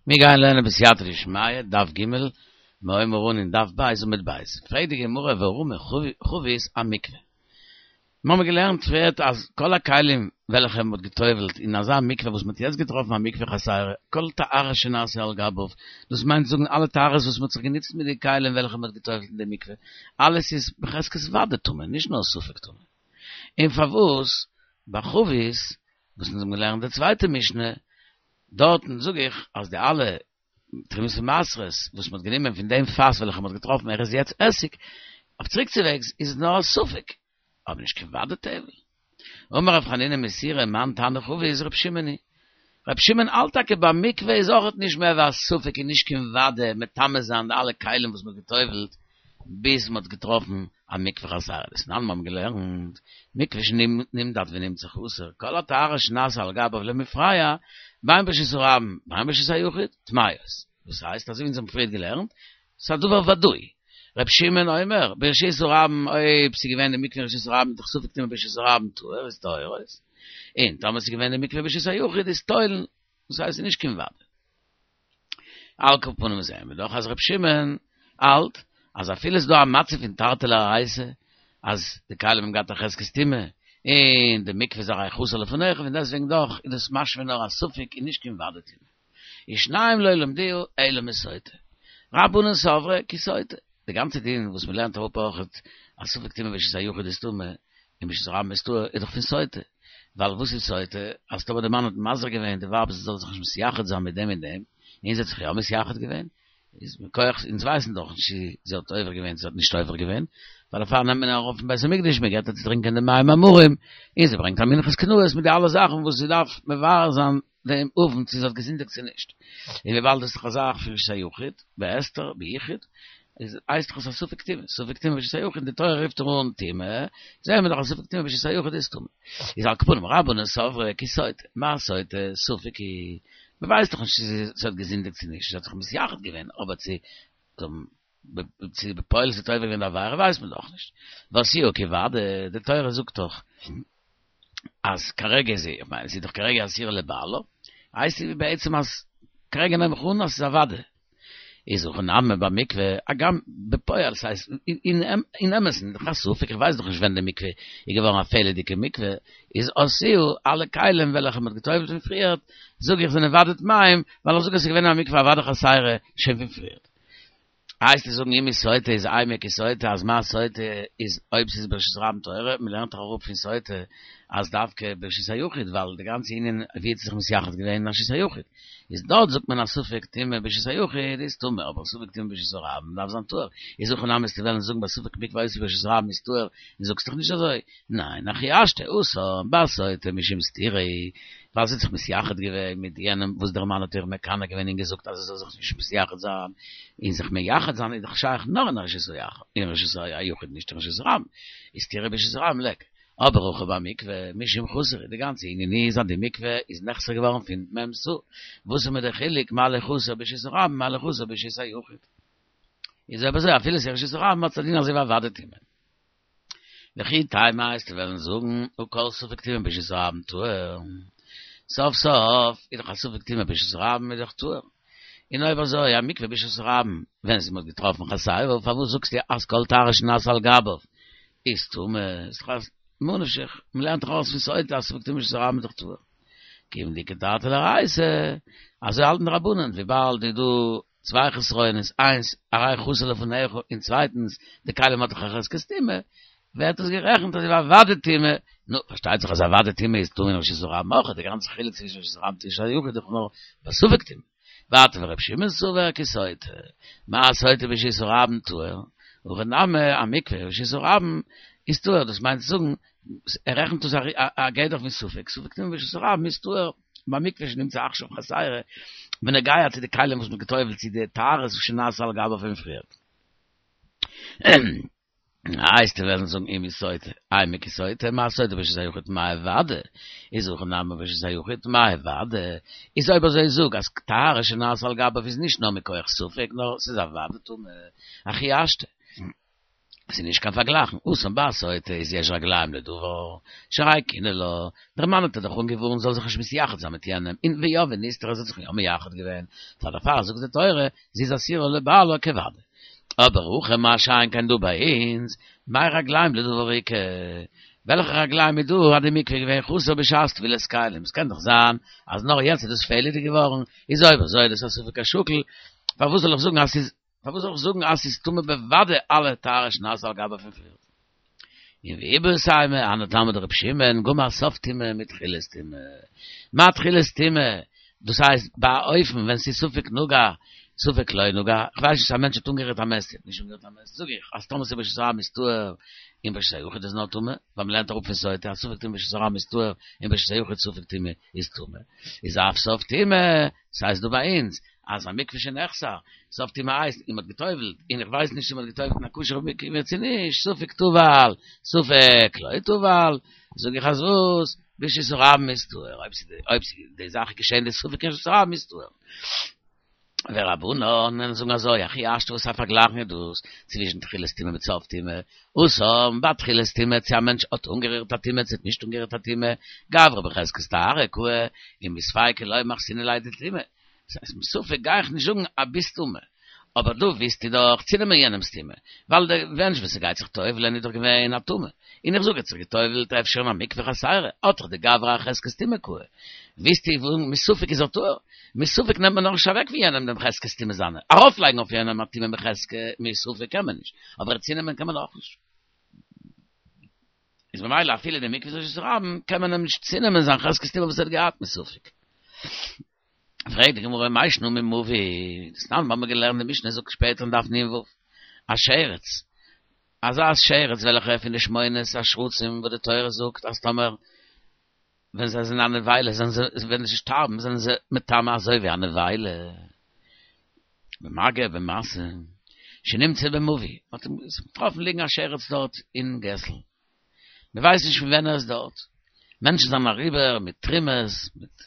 מיר גייען לערנען בסייעתא דשמיא, דף ג', מיר הייבן אן אין דף ב' עמוד ב'. פרעגט די גמרא והא רמי חבית אמקווה. מיר האבן געלערנט פריערט אז כל הכלים וועלכע מען האט גע'טובל'ט אין אזא מקווה וואס מען האט יעצט געטראפן א מקווה חסרה, כל טהרה שנעשה על גביו, דאס מיינט זאגן אלע טהרות וואס מען האט זיך גענוצט מיט די כלים וועלכע מען האט גע'טובל'ט אין די מקווה, אלעס איז בחזקת ודאי טמא, נישט נאר ספק טמא. און פארוואס ביי חבית, וואס אונז האבן געלערנט די צווייטע משנה, דארטן זאג איך אז די אלע תרומות ומעשרות וואס מ'האט גענומען פון דעם פאס וועלכע מ'האט געטראפן ער איז יעצט עסיג, אויף צוריקצווועגס איז עס נאר א ספק, אבער נישט קיין ודאי טבל. אמר רב חנינא מסורא מאן תנא חבית ר' שמעון היא. ר' שמעון האלט טאקע ביי מקווה איז אויכעט נישט מער ווי א ספק און נישט קיין ודאי מטמא זיין די אלע כלים וואס מ'האט גע'טובל'ט ביז מ'האט געטראפן א מקווה חסרה דתנן מיר האבן געלערנט, מקווה שנמדד ונמצא חסר, כל הטהרה שנעשה על גביו למפרע, בין ברשות הרבים בין ברשות היחיד, טמאות. דאס הייסט אזוי ווי אונז האבן פריערט געלערנט, ס'איז א דבר ודאי. ר' שמעון אומר, ברשות הרבים אויב ס'איז געווען די מקווה אין רשות הרבים איז דאך ספק טומאה ברשות הרבים טהור איז טהורות, און טאמער ס'איז געווען די מקווה ברשות היחיד איז תולין, דאס הייסט ס'איז נישט קיין ודאי. על כל פנים זעען מיר דאך אז ר' שמעון האלט אז אפילו ס'איז דא א מצב פון תרתי דאורייתא אז די כלים האבן געהאט א חזקת טומאה און די מקווה איז הרי חסר לפניך און דעסטוועגן דאך איז דאס משמע נאר א ספק און נישט קיין ודאי טומאה. ושניים לא למדוה אלא מסוטה. רבנן סברי כסוטה. די גאנצע דין וואס מ'לערנט אראפ אויכעט אז ספק טומאה ברשות היחיד איז טמא און ברשות הרבים איז טהור איז דאך פון סוטה. ווייל וואס איז סוטה? אז טאמער די מאן האט מזהיר געווען די ווייב זי זאל זיך נישט מתייחד זיין מיט דעם און דעם, און זי האט זיך יא מתייחד געווען, איז מכח אונז ווייסן דאך נישט צו זי האט עובר געווען צו זי האט נישט עובר געווען, ווייל דערפאר נעמט מען איר ארויף אין בית המקדש, מען געבט איר צו טרינקען די מים המרים, און זי ברענגט א מנחת קנאות מיט די אלע זאכן וואס זי דארף מברר זיין דעם עון צו זי האט געזינדיגט צו נישט, און וויבאלד דאס איז דאך א זאך פון רשות היחיד, בהסתר, ביחוד, איז הייסט דאך עס א ספק טומאה, ספק טומאה ברשות היחיד, די תורה רופט איר אן טומאה, זעהן מיר דאך אז ספק טומאה ברשות היחיד איז טמא. איז על כל פנים רבנן סברי כסוטה, מה סוטה, ספק היא, מען ווייסט דאך נישט צו זי האט געזינדיגט צו נישט, זי האט זיך מתייחד געווען, אבער צו צו בפועל זי האט עובר געווען די עבירה ווייסט מען דאך נישט. ועשאוה כודאי, די תורה זאגט דאך אז כרגע איז זי, איך מיין זי איז דאך כרגע אסורה לבעלה, הייסט זי בעצם אז כרגע נעם איך אן אז ס'איז א וודאי. איז הכא נמי במקווה, הגם בפועל ס'הייסט אין אמת'ן דאך א ספק, איך ווייס דאך נישט ווען די מקווה איז געווארן א פעלערדיגע מקווה, איז עשאוה אלע כלים וועלכע מ'האט געטובל'ט פון פריערט, זאג איך זענען וודאי טמאים, ווייל איך זאג אז ס'איז געווען א מקווה א וודאי חסרה שוין פון פריערט. וועסטו זאגן אם מסוטה איז אימא כסוטה אז מה סוטה איז אויב ס'איז ברשות הרבים טהורה, מ'לערנט דאך אראפ פון סוטה אז דווקא ברשות היחיד ווייל די גאנצע ענין ווי האט זי זיך מתייחד געווען אין רשות היחיד איז דארט זאגט מען אז ספק טומאה ברשות היחיד איז טמא אבער ספק טומאה ברשות הרבים דארף זיין טהור איז הכא נמי וועסטו וועלן זאגן ביי ספק מקווה היתה ברשות הרבים איז טהור און זאגסט דאך נישט אזוי ניין הכי השתא התם בסוטה משום סתירה ווייל זי האט זיך מתייחד געווען מיט יענעם וואס דער מאן האט איר מקנא געווען און געזאגט אז זי זאל זיך נישט מתייחד זיין, און זיך מייחד זיין איז דאך שייך נאר אין אין רשות היחיד נישט אין רשות הרבים, איז סתירה ברשות הרבים ליכא. אבער הכא במקווה משום חסר די גאנצע ענין איז אז די מקווה איז נחסר געווארן פון מ' סאה, וואס איז מיר דער חילוק מה לי חסר ברשות הרבים מה לי חסר ברשות היחיד? איז אויב אזוי אפילו ס'איז רשות הרבים האט עס א דין אזוי ווי א וודאי טומאה. וכי תימא וועסטו וועלן זאגן הא כל ספק טומאה ברשות הרבים טהור, סוף סוף איז דאך א ספק טומאה ברשות הרבים איז דאך טהור, און אויב אזוי א מקווה ברשות הרבים ווען ס'איז מ'האט געטראפן חסרה פארוואס זאגסטו אז כל טהרה שנעשה על גביו איז טמא, איז דאך א ממה נפשך, מ'לערנט דאך ארויס פון סוטה אז ספק טומאה ברשות הרבים איז דאך טהור. כיון דאיכא תרתי דאורייתא, אזוי האלטן די רבנן, וויבאלד איז דא צוויי חסרונות, איינס, הרי חסר לפניך, און צווייטנס, די כלים האט דאך א חזקת טומאה, ווערט עס גערעכנט אזוי ווי א וודאי טומאה, נו, פארשטייט זיך אז א וודאי טומאה איז טמא אין רשות הרבים אויך, די גאנצע חילוק צווישן רשות הרבים און רשות היחיד איז דאך נאר בספק טומאה. ווייטער ור' שמעון סבר כסוטה, מה סוטה ברשות הרבים טהור, הכא נמי א מקווה ברשות הרבים איז טהור, דאס מיינט צו זאגן, ער רעכנט דאס א גדר פון ספק, ספק טומאה ברשות הרבים איז טהור. במקווה שנמצא עכשיו חסרה, בנוגע צו די כלים וואס מ'האט געטובל'ט צו די טהרות שנעשה על גביו פון פריער. וועסטו וועלן זאגן אם מסוטה, אימא כסוטה, מה סוטה ברשות היחיד טמאה ודאי, איז הכא נמי ברשות היחיד טמאה ודאי, איז אויב אזוי זאג אז טהרה שנעשה על גביו איז נישט נאר מכח ספק נאר ס'איז א ודאי טומאה, הכי השתא. ס'איז נישט קיין פארגלייכן, התם ביי א סוטה איז יש רגליים לדבר, שהרי קינא לה, דער מאן האט איר דאך אנגעווארנט זאל זיך נישט מתייחד זיין מיט יענעם, און ויה ונסתרה זי האט זיך יא מייחד געווען, פאר דערפאר זאגט די תורה, זי איז אסורה לבעלה כוודאי. אבער הכא מה שאין כן דא ביי אונז, מאי רגליים לדבר איכא? וועלכע רגליים איז דא אז די מקווה איז געווען חסר בשעת טבילת כלים? ס'קען דאך זיין אז נאר יעצט איז דאס פעלעדיג געווארן, איז אויב אזוי איז דאס א ספק השקול, פארוואס זאל איך זאגן אז ס'איז פארוואס זאל איך זאגן אז ס'איז טמא בוודאי אלע טהרות שנעשו על גבה פון פריער? און ואיבעית אימא, היינו טעמא דרבי שמעון, גמר סוף טומאה מתחילת טומאה. מה תחילת טומאה? דאס הייסט ביי א אופן ווען ס'איז ספק נגע, ספק לא נגע, כ'ווייס נישט צו א מענטש האט אנגערירט א מת, צו האט נישט אנגערירט א מת, זאג איך אז טאמער ס'איז ברשות הרבים איז טהור און ברשות היחיד איז נאר טמא, ווייל מ'לערנט אראפ פון סוטה אז ספק טומאה ברשות הרבים איז טהור און ברשות היחיד ספק טומאה איז טמא, איז אף סוף טומאה, ס'הייסט דא ביי אונז אז א מקווה שנחסר, סוף טומאה הייסט און מ'האט גע'טובל'ט, און איך ווייס נישט צו מ'האט גע'טובל'ט אין א כשר'ע מקווה צו נישט, ספק טבל, ספק לא טבל, זאג איך אז וואס? ברשות הרבים איז טהור, אויב ס'איז אויב ס'איז די זאך איז געשען די ספק אין רשות הרבים איז טהור. ורבנן און זאגן אזוי, הכי השתא וואס א פארגלייכן איז דאס צווישן תחילת טומאה מיט סוף טומאה, התם ביי תחילת טומאה צו א מענטש האט אנגערירט א טומאה צו האט נישט אנגערירט א טומאה, גברא בחזקת טהרה קאי, ומספיקא לא מחתינן ליה דטומאה. דאס הייסט מספק גיי איך נישט זאגן אז ביסט טמא, אבער דא ווילסטו דאך צונעמען יענעמס טומאה, ווייל דער מענטש וואס ס'גייט זיך טובל'ען איז דאך געווען א טמא, און איך זאג ער האט זיך געטובל'ט אפשר אין א מקווה חסרה, האט דאך די גברא א חזקת טומאה קאי. ווילסטו זאגן מספק איז ער טהור? מספק נעמט מען נאכנישט אוועק פון יענעם דעם חזקת טומאה זיינע, ארויפלייגן אויף יענעם א טומאה מחזקת מספק קען מען נישט, אבער צונעמען קען מען אויך נישט. איז ממילא אפילו די מקווה איז רשות הרבים קען מען אים נישט צונעמען זיין חזקת טומאה וואס ער האט געהאט מספק. פרעגט די גמרא מאי שנא ממבוי, דתנן האבן מיר געלערנט די משנה זאגט שפעטער אין דף נ"ו, א שרץ, אזא שרץ וועלכע פון די שמונת השרצים וואס די תורה זאגט אז טאמער ווען זיי זענען א נבילה זענען זיי ווען זיי שטארבן זענען זיי מטמא אזוי ווי א נבילה, במגע במשא, שנמצא במבוי, מען האט אים געטראפן ליגן א שרץ דארט אין געסל. מען ווייסט נישט פון ווען ער איז דארט, מענטשן זענען אריבער מיט תרומות, מיט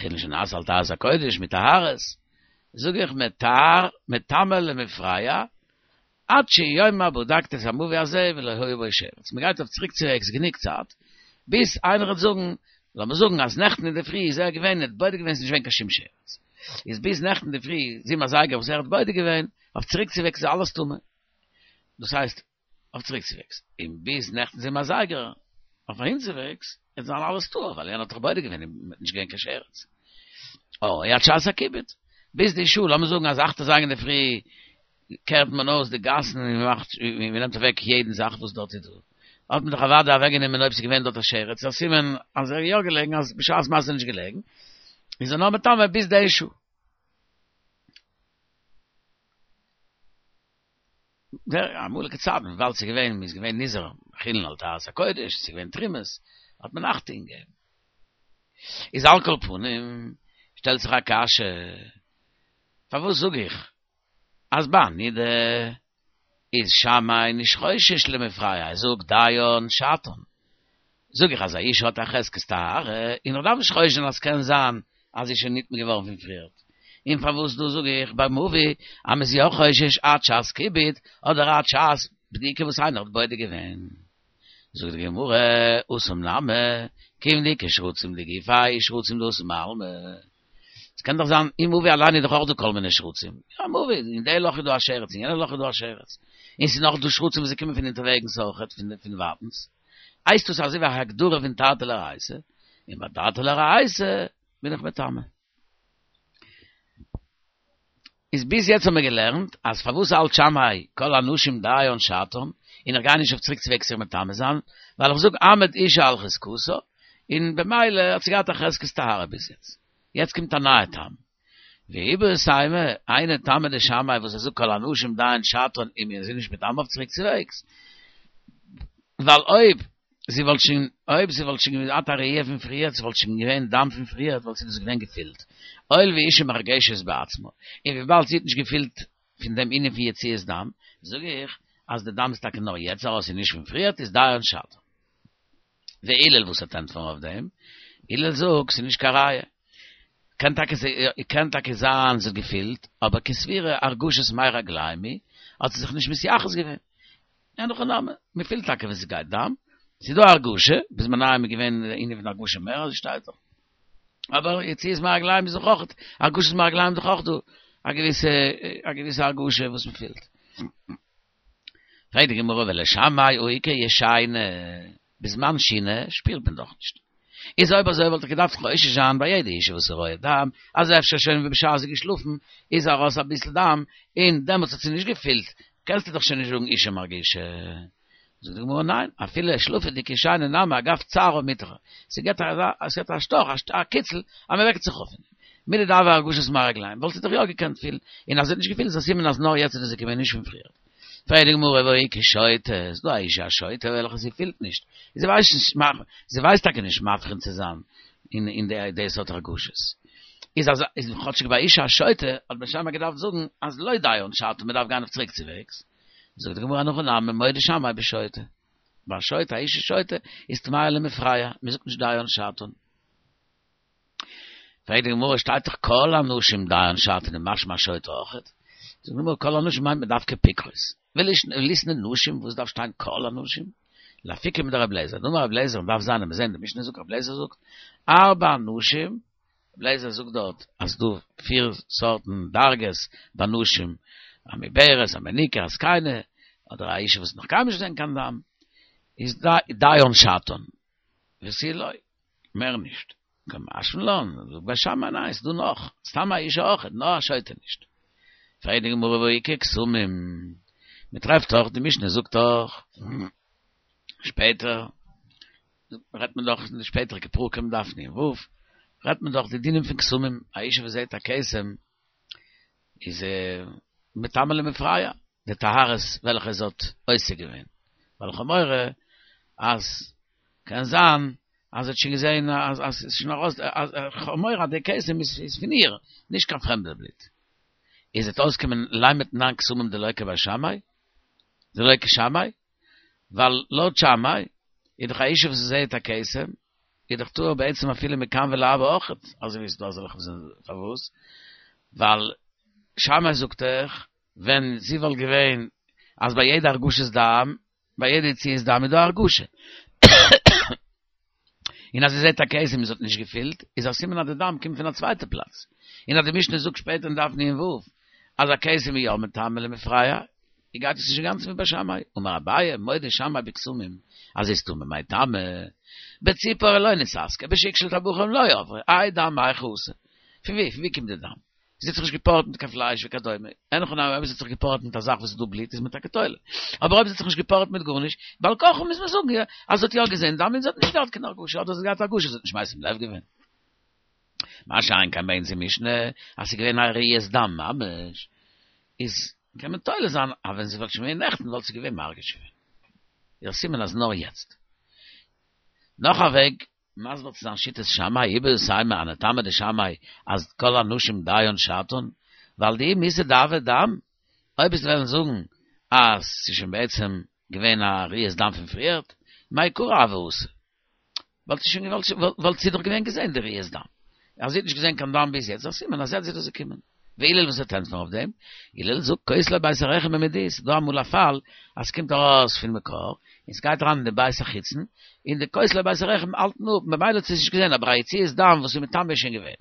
חולין שנעשו על טהרת הקודש, מיט טהרות, זאג איך מטהר, מטמא למפרע, עד שיאמר בדקתי את המבוי הזה ולא היה בו שרץ, מען גייט אויף צוריק צו וועגס גענוג צייט, ביז איינער וועט זאגן, לאמיר זאגן אז נעכטן אינדערפרי איז ער געווען, ער האט בודק געווען ס'איז נישט געווען קיין שום שרץ, איז ביז נעכטן אינדערפרי זיבן אזייגער וואס ער האט בודק געווען, אויף צוריק צו וועגס איז אלעס טמא, דאס הייסט, אויף צוריקצווועגס, און ביז נעכטן זיבן אזייגער אויף אהינצווועגס, וועט זיין אלעס טהור, ווייל יענער האט דאך בודק געווען און נישט געווען קיין שרץ. או עד שעת הכיבוד, ביז די שעה, לאמיר זאגן אז אכט אזייגער אינדערפרי קערט מען אויס די גאסן און מען מאכט, מען נעמט אוועק יעדן זאך וואס דארט איז דא, האט מען דאך אוודאי אוועקגענומען אויב ס'איז געווען דארט א שרץ, א סימן אז ער איז יא געלעגן, אז בשעת מעשה איז ער נישט געלעגן, איז ער נאר מטמא ביז די שעה. דער אמאליגע צייטן וויבאלד ס'איז געווען מ'איז געווען נזהר חולין על טהרת הקודש ס'איז געווען תרומות האט מען אכטונג געגעבן איז על כל פנים שטעלט זיך א קשיא פארוואס זאג איך אז ביי נידה איז שמאי נישט חושש למפרע ער זאגט דיין שעתן זאג איך אז א אישה האט א חזקת טהרה, און איך דארף נישט חושש זיין אז ס'קען זיין אז זי איז שוין נטמא געווארן פון פריערט. און פארוואס דא זאג איך ביי מבוי אז מ'איז יא חושש עד שעת כיבוד אדער עד שעת בדיקה וואס איינער האט בודק געווען. זאגט די גמרא, התם נמי, כיון דאיכא שרצים דגופיה שרצים דאתו מעלמא. ס'קען דאך זיין אין מבוי אליין איז דאך אויך דא כל מיני שרצים. יא מבוי, אין די לאך איז דא א שרץ, אין יענע לאך איז דא א שרץ. און ס'איז נאך דא שרצים וואס זיי קומען פון אונטערוועגנס אויכעט, פון ווייטנס. הייסט דאס אזוי ווי א הגדרה פון תרתי לריעותא, און ביי תרתי לריעותא בין איך מטמא. איז ביז יעצט האבן מיר געלערנט אז פארוואס האלט שמאי כל הנשים דיין שעתן, און איך גיי נישט אויף צוריק צוועגס איר מטמא זיין, ווייל איך זאג עמד אישה על חזקתה, און במילא האט זי געהאט א חזקת טהרה ביז יעצט. יעצט קומט א נייע טעם. ואיבעית אימא, היינו טעמא דשמאי וואס ער זאגט כל הנשים דיין שעתן און מיר זענען נישט מטמא אויף צוריק צוועגס, ווייל אויב זי וואלט שוין אויב זי וואלט שוין געהאט א ראי' פון פריערט, זי וואלט שוין געווען דם פון פריערט וואלט זי דאס געווען געפילט, הואיל ואישה מרגשת בעצמה, און וויבאלד זי האט נישט געפילט פון דעם ענין פון יציאת דם, זאג איך אז די דם איז טאקע נאר יעצט ארויס און נישט פון פריערט איז דיין שעתן. והלל וואס וועט ענטפערן אויף דעם? הלל זאגט ס'איז נישט קיין ראיה. קען טאקע קען טאקע זיין זי האט געפילט, אבער כסבירא הרגשת מי רגלים היא, האט זי זיך נישט מתייחס געווען. אין הכי נמי, מען פילט טאקע ווען ס'גייט דם, ס'איז דא הרגשה, בזמנם איז געווען די ענין פון הרגשה מער אזוי שטייט דאך. אבער יציאת מי רגליים איז דאך אויך, הרגשת מי רגליים איז דאך אויך דא א געוויסע א געוויסע הרגשה וואס מען פילט. פרעגט די גמרא ולשמאי הא איכא ישנה, בזמן שינה שפירט מען דאך נישט. איז אויב אזוי וואלט איך געדארפט חושש זיין ביי יעדע אישה וואס איז רואה דם, אז אפשר שוין בשעת זי איז געשלאפן איז ארויס אביסל דם און דעמאלטס האט זי נישט געפילט, קענסטו דאך שוין נישט זאגן אישה מרגישה. זאגט די גמרא ניין, אפילו שלופה'דיגע שינה נמי אגב צערא מיטרחא, ס'געט א ס'געט א שטאך א קיצל אז מ'וועקט זיך אויף פון דעם. מידי דהוה הרגשת מי רגליים וואלט זי דאך יא געקענט פילן, און אז זי האט נישט געפילט איז א סימן אז נאר יעצט איז דאס געקומען נישט פון פריער. פרעגט די גמרא והא איכא שוטה, ס'איז דא א אישה א שוטה וועלכע זי פילט נישט, זי ווייסט נישט, זי ווייסט טאקע נישט מבחין צו זיין אין אין די סארט הרגשות, איז אז איז כאטשיג ביי אישה א שוטה האט בית שמאי געדארפט זאגן אז לא דיין שעתן מ'דארף גיין אויף צוריק צו וועגס, זאגט די גמרא אין הכי נמי מודה שמאי בשוטה, ביי א שוטה א אישה שוטה איז טמאה למפרע, מ'זאגט נישט דיין שעתן. פרעגט די גמרא שטייט דאך כל הנשים דיין שעתן איז משמע שוטה אויכעט, זאגט די גמרא כל הנשים מיינט מען דווקא פיקחות, וליתני נשים וואס דארף שטיין כל הנשים? לאפוקי מדרבי אליעזר, דאמר רבי אליעזר דף ז' מיר זעהן די משנה זאגט רבי אליעזר זאגט ארבע נשים, רבי אליעזר זאגט דארט אז ס'דא פיר סארטן דרגות ביי נשים, א מעוברת, א מניקה, א זקנה, אדער א אישה וואס האט נאך קיינמאל נישט געזען קיין דם, איז דיין שעתן, ותו לא. מער נישט. קא משמע לן, זאגט בית שמאי ניין, ס'דא נאך, סתם א אישה אויכעט, נאר א שוטה נישט. פרעגט די גמרא והא איכא כתמים, מ'טרעפט דאך, די משנה זאגט דאך, שפעטער, רעדט מען דאך אין די שפעטערע פרקים דף נ"ו, רעדט מען דאך די דינים פון כתמים, א אישה וואס זעט א כתם, איז מטמא למפרע, די טהרות וועלכע זי האט עוסק געווען, ווייל כ'האב מורא אז קען זיין אז זי האט שוין געזען אז עס איז שוין ארויס, כ'האב מורא אז די כתם איז פון איר, נישט קיין פרעמדע בלוט. איז וועט אויסקומען לימא תנן כתמים דלא כבית שמאי, דלא כשמאי, ווייל לויט שמאי איז דאך א אישה וואס זעהט א כתם איז דאך טהור בעצם אפילו מכאן ולהבא אויכעט, אזוי ווי עס איז דא אזעלכע וואס זענען פארוואס? ווייל שמאי זאגט דאך ווען זי וואלט געווען אז ביי יעדע הרגשת דם, ביי יעדע יציאת דם איז דא א הרגשה, און אז זי זעט א כתם און זי האט נישט געפילט, איז א סימן אז די דם קומט פון א צווייטע פלאץ. און אז די משנה זאגט שפעטער אין דף נ"ו אז א כתם איז יא מטמא למפרע, גייט עס נישט אינגאנצן ווי בית שמאי. אמר אביי, מודה שמאי בכתמים, אז זי איז טמא מאי טעמא, בציפור לא נתעסקה, בשוק של טבחים לא עברה, האי דם מהיכא אתא. פון ווי? פון ווי קומט די דם? זי האט זיך נישט געפארעט מיט קיין פלייש וכדומה, אין הכי נמי אויב זי האט זיך געפארעט מיט א זאך וואס איז דא בלוט איז מען טאקע תולה, אבער אויב זי האט זיך נישט געפארעט מיט גארנישט, בעל כרחה מוז מען זאגן אז זי האט יא געזען דם און זי האט נישט געהאט קיין הרגשה, אדער זי האט געהאט הרגשה זי האט נישט משים לב געווען. מה שאין כן ביי אונזער משנה אז ס'איז געווען א ראיית דם ממש, איז קען מען תולה זיין אז ווען זי וואלט שוין געווען נעכטן וואלט זי געווען מרגיש געווען. איז א סימן אז נאר יעצט. נאך א וועג מסביר צו זיין שיטת שמאי איבעית אימא אנא טעמא דשמאי אז כל הנשים דיין שעתן, ווייל דאי מיסהא דהוה דם, אויב וועסט וועלן זאגן אז ס'איז שוין בעצם געווען א ראיית דם פון פריערט, מעיקרא הוה אתא, וואלט זי שוין וואלט זי דאך געווען געזען די ראיית דם, אז זי האט נישט געזען קיין דם ביז יעצט איז א סימן אז יעצט איז דאס געקומען. והלל וואס וועט ענטפערן אויף דעם? הלל זאגט כותלי בית הרחם במידי, ס'איז דא אמאל א פאל אז ס'קומט ארויס פון מקור און ס'גייט אריין אין די בית החיצון, און די כותלי בית הרחם האלטן אפ, ממילא האט זי עס נישט געזען, אבער א יציאת דם וואס איז מטמא איז שוין געווען.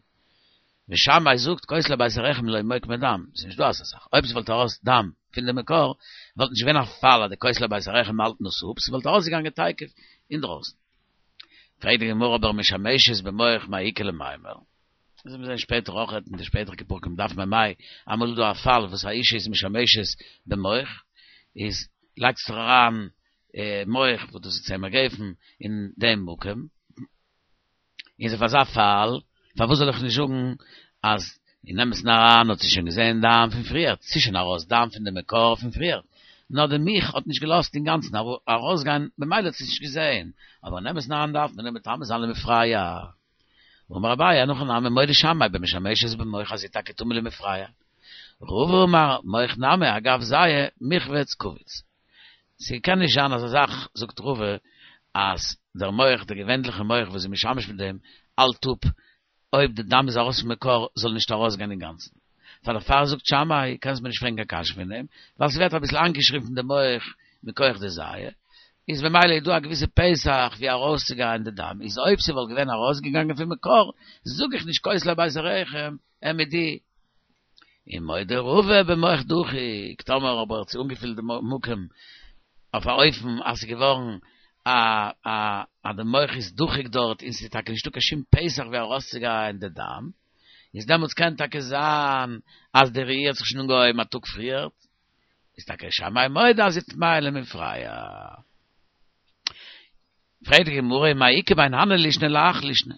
ושמאי זאגט כותלי בית הרחם לא מוקמי דם, ס'איז נישט דא אזא זאך, אויב ס'וואלט ארויס דם פון די מקור, וואלט נישט געווען א פאל אז די כותלי בית הרחם האלטן עס אפ, ס'וואלט ארויסגעגאנגען תיכף אינדרויסן. פרעגט די גמרא אבער משמשת במוך מאי איכא למימר? דאס וועט מען זען שפעטער אויך אין די שפעטערדיגע פרקים דף מ"ה, אמאל איז דא א פאל וואס א אישה איז משמשת במוך, איז לייגט זיך אריין מוך וואס דאס איז צמר גפן אין דעם מקום, איז אויף אזא פאל פארוואס זאל איך נישט זאגן אז אין אמת'ן אריין האט זי שוין געזען דם פון פריער, ס'איז שוין ארויס דם פון די מקור פון פריער, נאר די מוך האט נישט געלאזט אינגאנצן ארויסגיין במילא האט זי עס נישט געזען, אבער אין אמת'ן אריין דארף מען איר מטמא זיין למפרע. אמר אביי אין הכי נמי מודה שמאי במשמשת במוך אז זי איז טאקע טמא למפרע. רבא אמר מוך נמי אגב זיעה מיחבץ קביץ. ס'קען נישט זיין אזא זאך זאגט רבא אז דער מוך דער געווענליכע מוך וואס איז משמש מיט דעם האלט אפ אויב די דם איז ארויס פון מקור זאל נישט ארויסגיין אינגאנצן. פאר דערפאר זאגט שמאי קענסט מיר נישט פרעגן קיין קשיא פון דעם ווייל ס'ווערט אביסל איינגעשרימפן די מוך. מכח די זיעה, איז במילא איז דא א געוויסע פתח ווי ארויסצוגיין די דם, איז אויב ס'וואלט געווען ארויסגעגאנגען פון מקור, זאג איך נישט כותלי בית הרחם, מיט די. ומודה רבא במוך דחוק, טאמער אבער האט זי אנגעפילט די מקום אויף א אופן אז ס'איז געווארן א א אז די מוך איז דחוק דארט און ס'איז טאקע נישטא קיין שום פתח ווי ארויסצוגיין די דם, איז דעמאלטס קען טאקע זיין אז די ראי' האט זיך שוין אנגעהויבן א טאג פריערט, איז טאקע שמאי מודה אז ס'טמאה למפרע. פרעגט די גמרא מאי איכא בין הני לישני להך לישנא,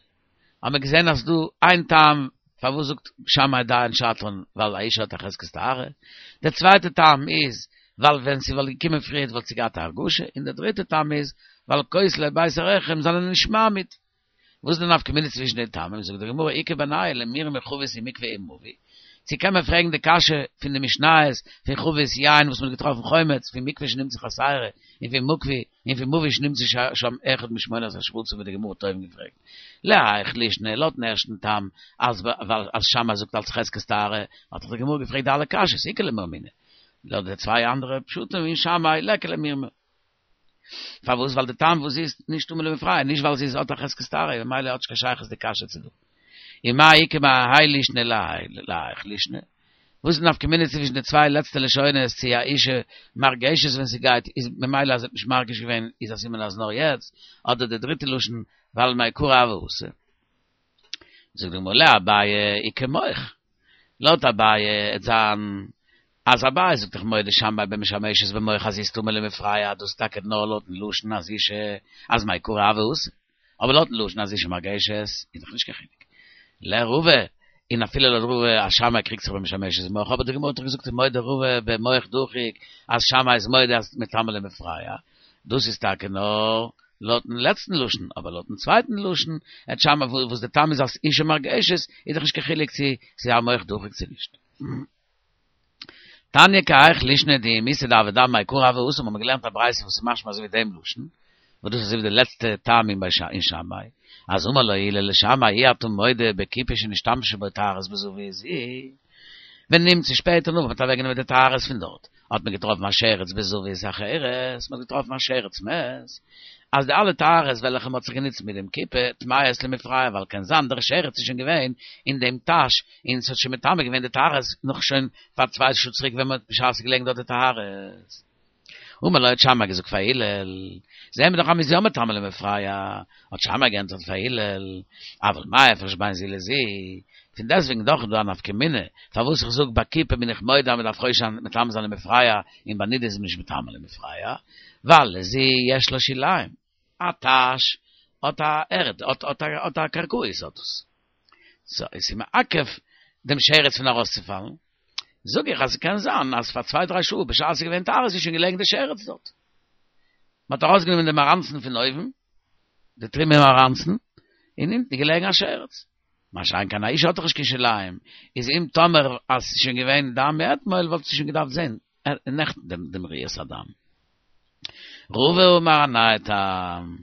האט מען געזען אז ס'דא איין טעם פארוואס זאגט שמאי דיין שעתן ווייל א אשה האט א חזקת טהרה, דער צווייטע טעם איז ווייל ווען ס'וואלט געקומען פריערט וואלט זי געהאט א הרגשה, און דער דריטע טעם איז ווייל כותלי בית הרחם זענען נישט מעמיד. וואס איז די נפקא מינה צווישן די טעמים? זאגט די גמרא איכא בינייהו למירמי חבית ומקווה ומבוי, צו קען מען פרעגן די קשיא פון די משניות פון חבית יין וואס מען האט געטראפן חומץ, פון מקווה שנמצא חסרה, און פון מקווה און פון מבוי שנמצא שם אחד משמונת השרצים ווי די גמרא האט אויבן געפרעגט. להאיך לישנא לויטן ערשטן טעם אז ווייל אז שמאי זאגט אלס חזקת טהרה האט דאך די גמרא געפרעגט די אלע קשיות איכא למירמינהו לויט די צוויי אנדערע פשטים אין שמאי ליכא למירמי. פארוואס? ווייל די טעם וואס זי איז נישט טמא למפרע, נישט ווייל זי איז האט א חזקת טהרה, ממילא האט נישט קיין שייכות די קשיא צו דא. ומאי איכא מהאי לישנא להאיך לישנא? וואס איז נפקא מינה צווישן די צוויי לעצטע לשונות צו א אישה מרגשת ווען זי גייט איז ממילא אז זי האט נישט מרגיש געווען איז א סימן אז נאר יעצט, אדער די דריטע לשון ווייל מעיקרא הוה אתי. זאגט די גמרא לאביי איכא מוך, לויט אביי עט זיין אז אביי זאגט דאך מודה שמאי במשמשת במוך אז זי איז טמא למפרע דאס טאקע נאר לויטן לשון אז אישה אז מעיקרא הוה אתי, אבער לויטן לשון אז אישה מרגשת איז דאך נישט קיין חילוק. לרבא, און אפילו לויט רבא אז שמאי קריגט זיך במשמשת במוך, אבער די גמרא האט דאך געזאגט ומודה רבא במוך דחוק אז שמאי איז מודה אז מטמא למפרע, דאס איז טאקע נאר לויטן לעצטן לשון, אבער לויטן צווייטן לשון, עט שמאי וואס די טעם איז אז אישה מרגשת, איז דאך נישט קיין חילוק צו ס'איז א מוך דחוק צו נישט. תניא כי האיך לישנא דאם איתא דהוה דם מעיקרא הוה אתי, האבן מיר געלערנט א ברייתא וואס איז משמע אזוי ווי דעם לשון, וואס דאס איז אזוי ווי די לעצטע טעמים ביי אין שמאי, אז אמר לו הלל לשמאי אי אתה מודה בכיפה שנשתמשה בו טהרות בזווית זו, ונמצא שפעטער נאך מ'האט אוועקגענומען די טהרות פון דארט, האט מען געטראפן א שרץ בזווית אחרת, מ'האט געטראפן א שרץ מת, אז די אלע טהרות וועלכע מ'האט זיך גענוצט מיט דעם כיפה, טמאות למפרע, ווייל קען זיין דער שרץ איז שוין געווען אין דעם טאש, און ס'האט שוין מטמא געווען די טהרות נאך שוין פאר צוויי שעה צוריק ווען מ'האט בשעת ס'איז געלעגן דארט די טהרות. אמר לו האט שמאי געזאגט פאר הלל, זעהן מיר דאך אז מ'איז יא מטמא למפרע, האט שמאי געענטפערט פאר הלל, אבל מה הפרש בין זו לזו, פון דעסטוועגן דאך איז דא א נפקא מינה, פארוואס איך זאג ביי כיפה בין איך מודה אז מ'דארף חושש זיין מטמא זיין למפרע, און ביי נידה איז מען נישט מטמא למפרע, ווייל לזו יש לה שוליים, א טאש האט א ערד, האט א קרקעית האט עס. סא עס איז מעכב דעם שרץ פון ארויסצופאלן, זאג איך אז ס'קען זיין אז פאר צוויי דריי שעה בשעת ס'איז געווען טהרות איז שוין געלעגן די שרץ דארט. מ'האט ארויסגענומען די מאראנצן פון אויבן, די תרומה מאראנצן, און אונטן איז געלעגן א שרץ. מה שאין כן א אישה האט דאך נישט קיין שוליים, איז אם טאמער אז ס'איז שוין געווען דם מאתמול וואלט זי שוין געדארפט זען נעכטן דעם ראיית הדם. רבא אמר א נייע טעם,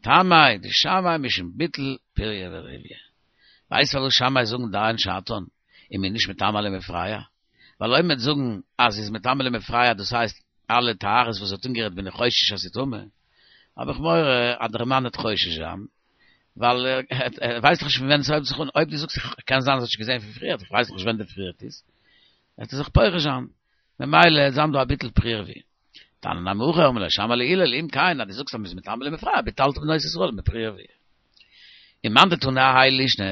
טעמא דשמאי משום ביטול פריה ורביה. ווייסט פארוואס שמאי זאגן דיין שעתן איז מען נישט מטמא למפרע? ווייל אויב מ'וועט זאגן אז ס'איז מטמא למפרע דאס הייסט אלע טהרות וואס האט אנגערירט בין איך חושש אז ס'איז טמא, האב איך מורא אז דער מאן וועט חושש זיין, ווייל ער ווייסט דאך נישט פון ווען עס הויבט זיך אן, אויב דו זאגסט קען זיין אז ער האט שוין געזען פון פריער, איך ווייס דאך נישט ווען די פריערט איז, וועט ער זיך פורש זיין, ממילא וועט זיין דא א ביטול פריה ורביה. תניא נמי הכי אמר לו שמאי להלל אם כן אז דו זאגסט אז מ'איז מטמא למפרע ביטלת בנות ישראל מפריה ורביה. ומאן דתני האי לישנא,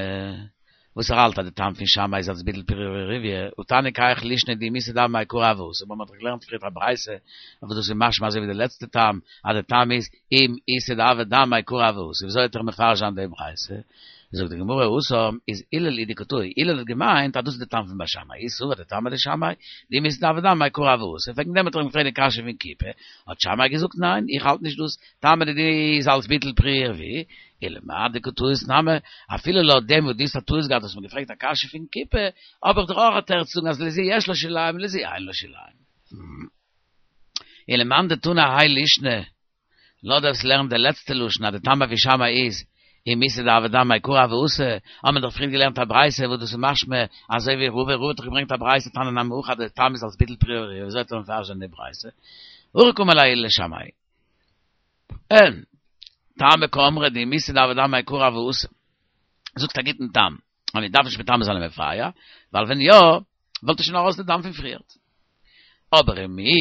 וואס ער האלט אז די טעם פון שמאי איז אלס ביטול פריה ורביה, הא תניא כי האיך לישנא דאם איתא דם מעיקרא הוה אתי, מ'האט דאך געלערנט פריער א ברייתא אבער דאס איז משמע אזוי ווי די לעצטע טעם אז די טעם איז אם איתא דהוה דם מעיקרא הוה אתי, וויאזוי וועט ער מפרש זיין די ברייתא? זאגט די גמרא התם איז הלל היא דקא טעי, הלל האט געמיינט אז דאס איז די טעם פון בית שמאי, הוא סבר דטעמא דשמאי, דאם איתא דהוה דם מעיקרא הוה אתי, וועגן דעם האט ער אים געפרעגט די קשיא פון כיפה, האט שמאי געזאגט ניין, איך האלט נישט דאס, טעמא דידי איז אלס ביטול פריה ורביה, ולמאי דקא טעית נמי, אפילו לויט דעם וואס דו האסט א טעות געהאט האסט מיר געפרעגט א קשיא פון כיפה, האב איך דאך אויך א תירוץ צו זאגן אז לזו יש לה שוליים ולזו אין לה שוליים. ולמאן דתני האי לישנא, לויט דער וואס לערנט די לעצטע לשון אז די טעם פון שמאי איז אם איתא דהוה דם מעיקרא הוה אתי, האט מען דאך פריער געלערנט א ברייתא וואס דאס איז משמע אזוי ווי רבא, רבא האט דאך געברענגט א ברייתא תניא נמי הכי אז די טעם איז אלס ביטול פריה ורביה, וויאזוי וועט ער מפרש זיין די ברייתא? הכי קאמר להו הלל לשמאי. אין, טעמא קאמרת דאם איתא דהוה דם מעיקרא הוה אסור. זאגסט א גוטן טעם, אז מען דארף נישט מטמא זיין למפרע, ווייל ווען יא, וואלט עס שוין ארויס די דם פון פריערט. אבער ומי,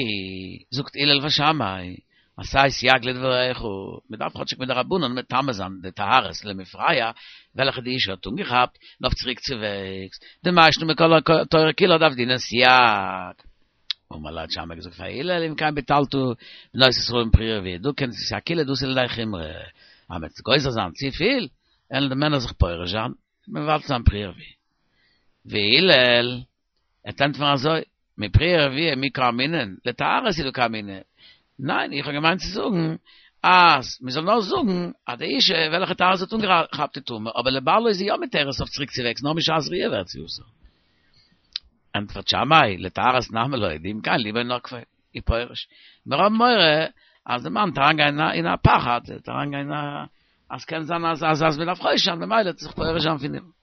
זאגט הלל פאר שמאי, עשה סייג לדבריך, מען דארף כאטשיג מדרבנן מטמא זיין די טהרות למפרע, וועלכע די אישה האט אנגעכאפט, און אויף צוריק צו וועגס, דמאי שנא מכל התורה כולה דעבדינן סייג. אמר ליה האט שמאי געזאגט פאר הלל אם כן ביטלת בנות ישראל מפריה ורביה, דא קען עס איז א קולא דאתא לידי חומרא, אז מ'וועט גוזר זיין צופיל, וועלן די מענער זיך פורש זיין, מבטל זיין פריה ורביה. והלל וועט ענטפערן אזוי, מפריה ורביה מי קאמינא, לטהרות הוא דקאמינא, ניין איך האב געמיינט צו זאגן אז מען זאל נאר זאגן אז די אישה וועלכע טהרות האט אנגעכאפט איז טמא, אבער לבעלה איז זי יא מותרת אויף צוריק צו וועגס נאר משעת ראיה ווערט זי אסור. ענטפערט שמאי, לטהרות נמי לא, דאם כן ליבו נוקפו, ופורש. מיר האבן מורא אז די מאן וועט אריינגיין אין א פחד, וועט אריינגיין אין א, אז קען זיין אז אז אז מען דארף חושש זיין ממילא וועט ער זיך פורש זיין פון אים.